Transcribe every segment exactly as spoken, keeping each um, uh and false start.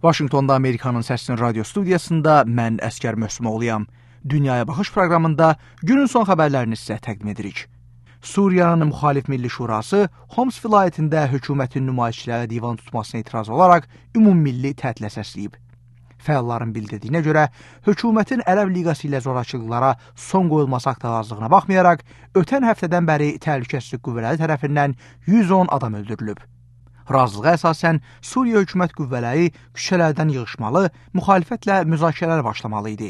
Vaşinqtonda Amerikanın Səsinin radio studiyasında mən Əskər Möhsümoğluyam. Dünyaya Baxış proqramında günün son xəbərlərini sizə təqdim edirik. Suriyanın Müxalif Milli Şurası Homs vilayətində hökumətin nümayişçilərə divan tutmasına etiraz olaraq ümummilli tətilə səsləyib. Fəalların bildirdiyinə görə, hökumətin Ərəb Liqası ilə zorakılıqlara son qoyulması haqda razılığına baxmayaraq, ötən həftədən bəri təhlükəsizlik qüvvələri tərəfindən yüz on adam öldürülüb. Razılığa əsasən Suriya hökumət qüvvələri küçələrdən yığışmalı, müxalifətlə müzakirələr başlamalı idi.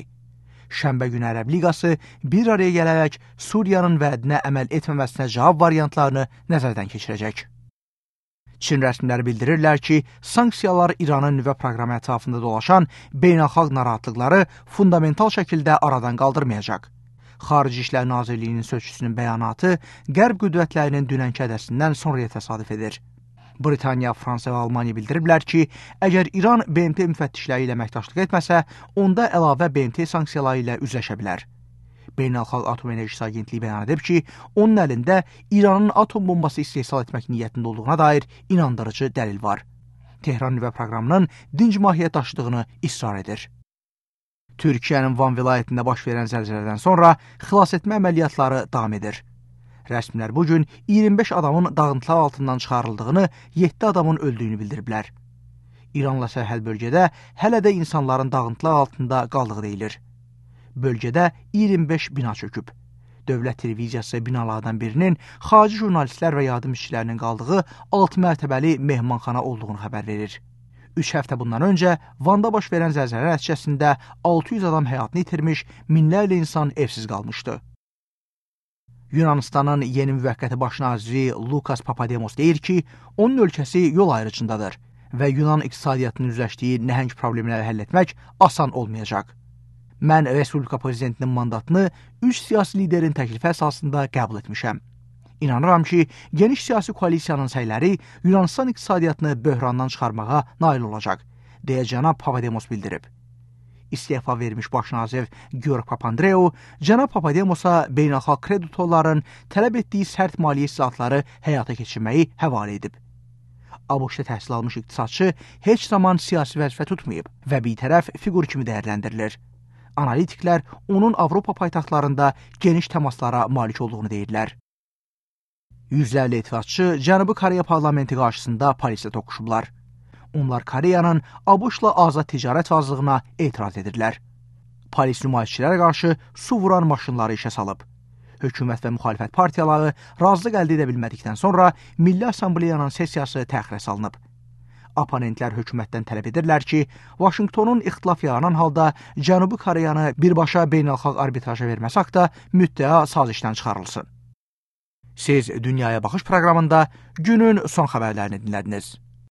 Şənbə günü Ərəb Liqası bir araya gələrək Suriyanın vədinə əməl etməməsinə cavab variantlarını nəzərdən keçirəcək. Çin rəsmiləri bildirirlər ki, sanksiyalar İranın nüvə proqramı ətrafında dolaşan beynəlxalq narahatlıqları fundamental şəkildə aradan qaldırmayacaq. Xarici İşlər Nazirliyinin sözçüsünün bəyanatı Qərb qüdrətlərinin dünənki hədəsindən sonraya təsadüf edir. Britaniya, Fransa və Almaniya bildiriblər ki, əgər İran B M T müfəttişləri ilə əməkdaşlıq etməsə, onda əlavə B M T sanksiyaları ilə üzləşə bilər. Beynəlxalq Atom Enerjisi Agentliyi bəyan edib ki, onun əlində İranın atom bombası istehsal etmək niyyətində olduğuna dair inandırıcı dəlil var. Tehran nüvə proqramının dinc mahiyyət daşıdığını israr edir. Türkiyənin Van vilayətində baş verən zəlzələdən sonra xilas etmə əməliyyatları davam edir. Rəsmilər bugün iyirmi beş adamın dağıntılar altından çıxarıldığını, yeddi adamın öldüyünü bildiriblər. İranla sərhəd bölgədə hələ də insanların dağıntılar altında qaldığı deyilir. Bölgədə iyirmi beş bina çöküb. Dövlət televiziyası binalardan birinin xarici jurnalistlər və yardım işçilərinin qaldığı altı mərtəbəli mehmanxana olduğunu xəbər verir. Üç həftə bundan öncə Vanda baş verən zəlzələ nəticəsində altı yüz adam həyatını itirmiş, minlərlə insan evsiz qalmışdı. Yunanistanın yeni müvəqqəti baş naziri Lukas Papademos deyir ki, onun ölkəsi yol ayrıcındadır və Yunan iqtisadiyyatının üzləşdiyi nəhəng problemləri həll etmək asan olmayacaq. Mən Respublika Prezidentinin mandatını üç siyasi liderin təklifi əsasında qəbul etmişəm. İnanıram ki, geniş siyasi koalisiyanın səyləri Yunanistan iqtisadiyyatını böhrandan çıxarmağa nail olacaq, deyə cənab Papademos bildirib. İstefa vermiş baş nazir Georg Papandreou, cənab Papademosa beynəlxalq kreditorların tələb etdiyi sərt maliyyə islahatları həyata keçirməyi həvalə edib. ABŞ-da təhsil almış iqtisadçı heç zaman siyasi vəzifə tutmayıb və bitərəf fiqur kimi dəyərləndirilir. Analitiklər onun Avropa paytaxtlarında geniş təmaslara malik olduğunu deyirlər. Yüzlərlə etirazçı Cənubi Koreya parlamenti qarşısında polislə toqquşublar. Onlar Koreyanın ABŞ-la azad ticarət razılığına etiraz edirlər. Polis nümayişçilərə qarşı su vuran maşınları işə salıb. Hökumət və müxalifət partiyaları razılıq əldə edə bilmədikdən sonra Milli Assambleyanın sessiyası təxirə salınıb. Oponentlər hökumətdən tələb edirlər ki, Vaşinqtonun ixtilaf yaranan halda Cənubi Koreyanı birbaşa beynəlxalq arbitraja verməsi haqda müddəa sazişdən çıxarılsın. Siz Dünyaya Baxış proqramında günün son xəbərlərini dinlədiniz.